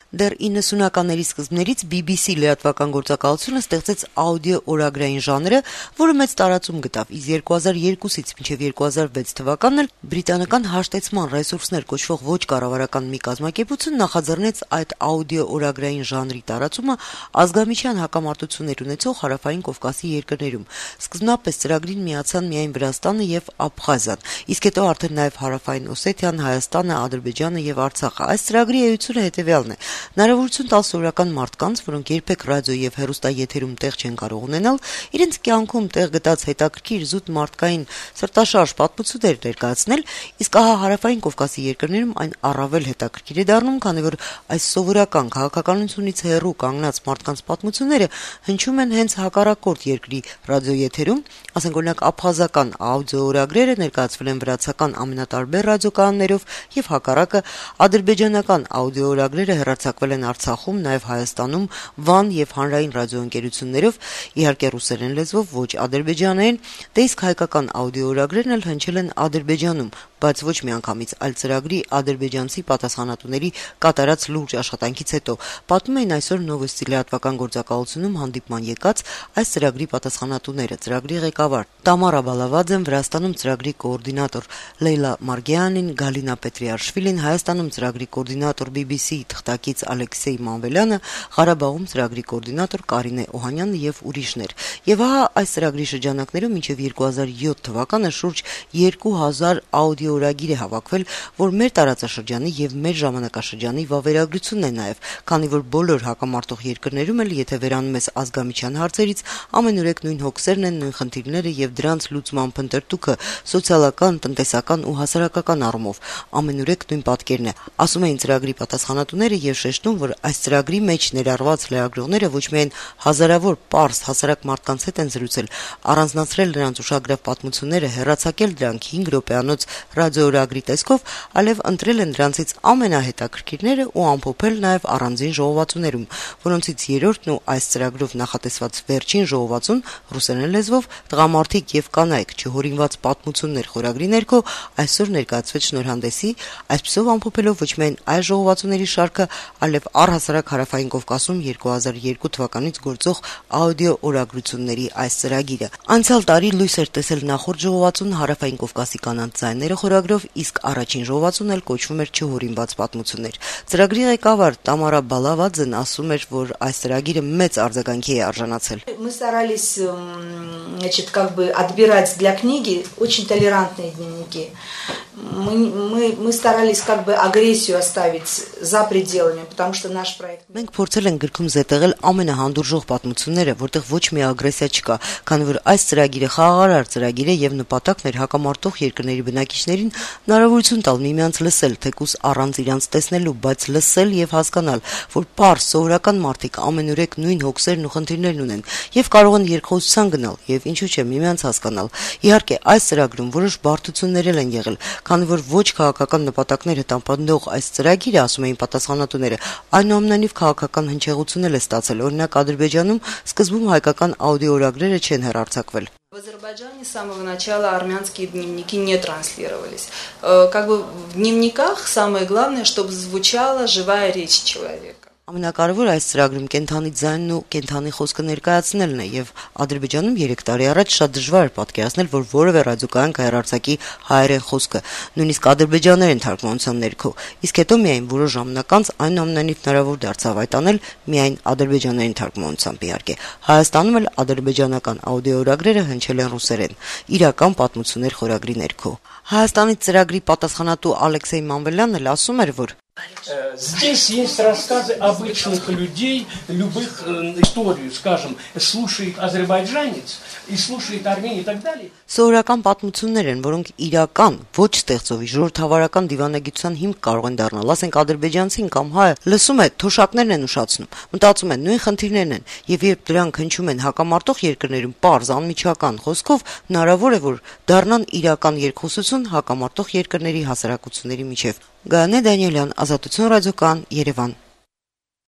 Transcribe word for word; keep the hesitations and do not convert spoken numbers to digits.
Դեռ իննսունականների սկզբներից B B C լրատվական գործակալությունը ստեղծեց աուդիո օրագրային ժանրը, որը մեծ տարածում գտավ, իսկ երկու հազար երկուսից մինչև երկու հազար վեց թվականն էլ բրիտանական հաշտեցման ռեսուրսներ կոչվող ոչ կառավարական մի կազմակերպություն նախաձեռնեց այդ աուդիո օրագրային ժանրի տարածումը ազգամիջյան հակամարտություններ ունեցող Հարավային Կովկասի երկրներում։ Սկզբնապես ծրագրին միացան միայն Վրաստանը եւ Աբխազիան, իսկ հետո արդեն նաեւ Հարավային Օսեթիան, Հայաստանը, Ադրբեջանը եւ Արցախը։ Այս ծրագրի էությունը հետեւյալն է. հնարավորություն տալ սովորական մարդկանց, որոնք երբեք ռադիո եւ հեռուստաեթերում տեղ չեն կարող ունենալ, իրենց կյանքում տեղ գտած հետաքրքիր զուտ մարդկային սրտաշարժ պատմություններ ներկայացնել, իսկ ահա Հարավային Կովկասի երկրներում այն առավել հետաքրքիր է դառնում, քանի որ այս սովորական քաղաքականությունից հեռու կանգնած մարդկանց պատմությունները հնչում են հենց հակառակորդ երկրի ռադիոեթերում, ասենք օրինակ աբխազական աուդիո օրագրերը ներկայացվել են վրացական ամենատարբեր ռադիոկանալներով եւ հակառակը ադրբեջանական աուդիո օրագրերը հեռարձակվել են Արցախում, նաեւ Հայաստանում, Վան եւ հանրային ռադիոընկերություններով, իհարկե ռուսերեն լեզվով, ոչ ադրբեջաներեն, դե իսկ հայկական աուդիո օրագրերն էլ հնչել են Ադրբեջանում, բայց ոչ միանգամից, այլ ծրագրի ադրբեջանցի պատասխանատուների կատարած լուրջ աշխատանքից հետո, պատմում էին այսօր Նովոստի լրատվական գործակալությունում հանդիպման եկած այս ծրագրի պատասխանատուները, ծրագրի ղեկավար Տամարա Բալավաձեն, Վրաստանում ծրագրի կոորդինատոր Լեյլա Մարգեյանին, Գալինա Պետրիաշվիլին, Հայաստանում ծրագրի կոորդինատոր B B C թղթակից Ալեքսեյ Մանվելյանը, Ղարաբաղում ծրագրի կոորդինատոր Կարինե Օհանյանը եւ ուրիշներ։ Եվ ահա այս ծրագրի շրջանակներում մինչև երկու հազար յոթ թվականը շուրջ երկու հազար աուդիո օրագիր է հավաքվել, որ մեր տարածաշրջանի եւ մեր ժամանակաշրջանի վավերագրությունն է նաեւ, քանի որ բոլոր հակամարտող երկրներում էլ, եթե վերանում ես ազգամիջյան հարցերից, ամենուրեք նույն հոգսերն են, նույն խնդիրները եւ դրանց լուծման փնտրտուքը սոցիալական, տնտեսական ու հասարակական առումով, ամենուրեք նույն պատկերն է, ասում էին ծրագրի պատասխանատուները եւ շեշտում, որ այս ծրագրի մեջ ներառված լրագրողները ոչ միայն հազարավոր պարզ հասարակ մարդկանց հետ են զրուցել, առանձնացրել նրանց ուշագրավ պատմությունները, հեռացակել դրանք հինգ րոպեանոց ռադիոօրագրի տեսքով, այլև ընտրել են դրանցից ամենահետաքրքիրները ու ամփոփել նաեւ առանձին ժողովածուներում, որոնցից երրորդն ու այս ծրագրով նախատեսված վերջին ժողովածուն ռուսերեն լեզվով տղամարդիկ եւ կանայք չհորինված պատմություններ խորագրի ներքո այսօր ներկայացվեց շնորհանդեսի, այսպիսով ամփոփելով ոչ միայն այս ժողովածուների շարքը, այլև առհասարակ Հարավային Կովկասում երկու հազար երկու թվականից գործող աուդիո օրագրությունների այս ծրագիրը։ Անցյալ տարի լույս էր տեսել նախորդ ժողովածուն Հարավային Կովկասի կանանց ձայները խորագրով, իսկ առաջին ժողովածուն էլ кոչվում էր չհորինված պատմություններ։ Ծրագրի ղեկավար Տամարա Բալավաձեն ասում էր, որ այս ծրագիրը մեծ արձագանքի է արժանացել։ Мы старались, значит, как бы отбирать для книги очень толерантные дневники. Мы, мы, мы старались как бы агрессию оставить за пределами, потому что наш проект... Մենք փորձել ենք գրքում զետեղել ամենահանդուրժող պատմությունները, որտեղ ոչ մի ագրեսիա չկա, քանի որ այս ծրագիրը խաղաղարար ծրագիր է եւ նպատակն էր հակամարտող երկրների բնակիչներին հնարավորություն տալ միմյանց լսել, թեկուզ առանց իրանց տեսնելու, բայց լսել եւ հասկանալ, որ պարզ սովորական մարդիկ ամենուրեք նույն հոգսերն ու խնդիրներն ունեն եւ կարող են երկխոսության գնալ եւ ինչու՞ չէ միմյանց հասկանալ։ Իհարկե, այս ծրագրում որոշ բարդություններ են եղել, քանի որ ոչ քաղաքական նպատակները տապանդող այս ծրագիրը, ասում էին պատասխանատուները, այնուամենայնիվ քաղաքական հնչեղություն է ստացել։ Օրինակ Ադրբեջանում սկզբում հայկական աուդիո օրագրերը չեն հեռարձակվել։ В Азербайджане с самого начала армянские дневники не транслировались. Как бы в дневниках самое главное, чтобы звучала живая речь человека. Ամենակարևորը այս ծրագրում կենթանի ձայնն ու կենթանի խոսքը ներկայացնելն է եւ Ադրբեջանում երեք տարի առաջ շատ դժվար էր պատկերացնել, որ որևէ ռադիոկայան կհեռարձակի հայերեն խոսքը, նույնիսկ ադրբեջաներեն թարգմանության ներքո, իսկ հետո միայն որոշ ժամանակ անց այնուամենայնիվ հնարավոր դարձավ այդ անել միայն ադրբեջաներեն թարգմանությամբ իհարկե։ Հայաստանում էլ ադրբեջանական աուդիո օրագրերը հնչել են ռուսերեն, իրական պատմություններ խորագրի ներքո։ Հայաստանի ծրագրի պատասխանատու Ալեքսեյ Մանվելյանն էլ ասում էր, որ Здесь есть рассказы обычных людей, любых э, историю, скажем, слушает азербайджанец и слушает армян и так далее. Սովորական պատմություններ են, որոնք իրական, ոչ ստեղծովի ժողովրդավարական դիվանագիտության հիմք կարող են դառնալ, ասենք ադրբեջանցին կամ հայը լսում է, թոշակներն են ուշացնում, մտածում են նույն խնդիրներն են, եւ երբ դրանք հնչում են հակամարտող երկրներում պարզ անմիջական խոսքով, հնարավոր է որ դառնան իրական երկխոսություն հակամարտող երկրների հասարակությունների միջև։ Գայանե Դանիելյան, Ազատություն ռադիոկան, Երևան։